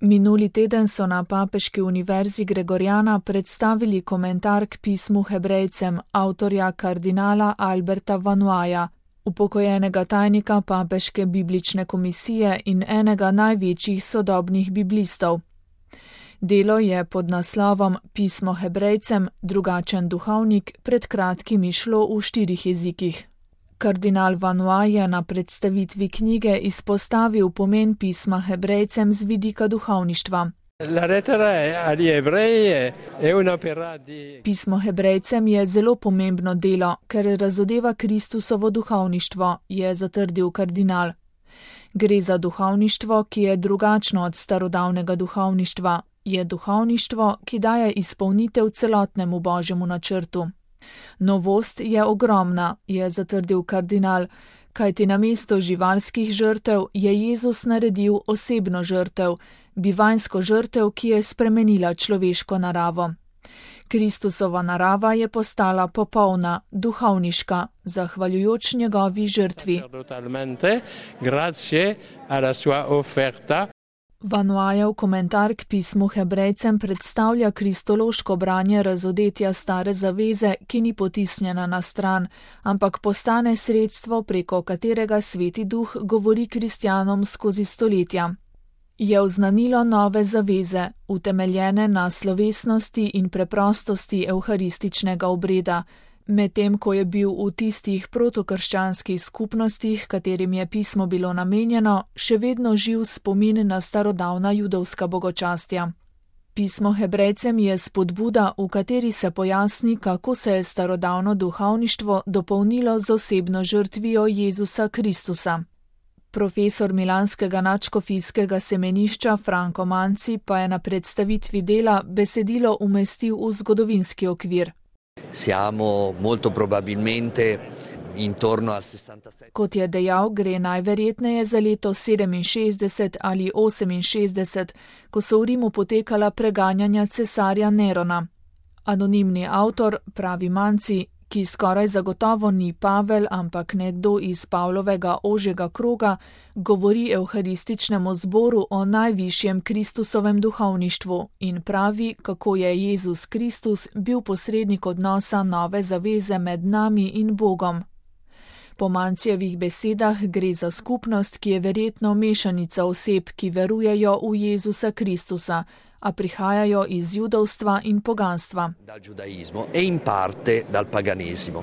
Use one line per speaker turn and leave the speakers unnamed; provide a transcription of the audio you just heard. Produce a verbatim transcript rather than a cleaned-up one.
Minuli teden so na Papeški univerzi Gregoriana predstavili komentar k pismu Hebrejcem avtorja kardinala Alberta Vanoaja, upokojenega tajnika Papeške biblične komisije in enega največjih sodobnih biblistov. Delo je pod naslovom Pismo Hebrejcem, drugačen duhovnik, pred kratkim izšlo v štirih jezikih. Kardinal Vanoaj je na predstavitvi knjige izpostavil pomen pisma Hebrejcem z vidika duhovništva. Pismo Hebrejcem je zelo pomembno delo, ker razodeva Kristusovo duhovništvo, je zatrdil kardinal. Gre za duhovništvo, ki je drugačno od starodavnega duhovništva. Je duhovništvo, ki daje izpolnitev celotnemu božjemu načrtu. Novost je ogromna, je zatrdil kardinal, kajti namesto živalskih žrtev je Jezus naredil osebno žrtev, bivanjsko žrtev, ki je spremenila človeško naravo. Kristusova narava je postala popolna, duhovniška, zahvaljujoč njegovi žrtvi. Vanoajev komentar k pismu Hebrejcem predstavlja kristološko branje razodetja stare zaveze, ki ni potisnjena na stran, ampak postane sredstvo, preko katerega Sveti Duh govori kristjanom skozi stoletja. Je oznanilo nove zaveze, utemeljene na slovesnosti in preprostosti evharističnega obreda, medtem ko je bil v tistih protokrščanskih skupnostih, katerim je pismo bilo namenjeno, še vedno živ spomin na starodavna judovska bogočastja. Pismo Hebrejcem je spodbuda, v kateri se pojasni, kako se je starodavno duhovništvo dopolnilo z osebno žrtvijo Jezusa Kristusa. Profesor milanskega nadškofijskega semenišča Franco Manci pa je na predstavitvi dela besedilo umestil v zgodovinski okvir.
Siamo molto probabilmente intorno al sessantasette.
Kot je dejal, gre najverjetneje za leto sedeminšestdeset ali oseminšestdeset, ko so v Rimu potekala preganjanja cesarja Nerona. Anonimni avtor, pravi Manci, ki skoraj zagotovo ni Pavel, ampak nekdo iz Pavlovega ožjega kroga, govori evharističnemu zboru o najvišjem Kristusovem duhovništvu in pravi, kako je Jezus Kristus bil posrednik odnosa nove zaveze med nami in Bogom. Po Mancijevih besedah gre za skupnost, ki je verjetno mešanica oseb, ki verujejo v Jezusa Kristusa, a prihajajo iz judovstva in poganstva.
Dal giudaismo e in parte dal paganesimo.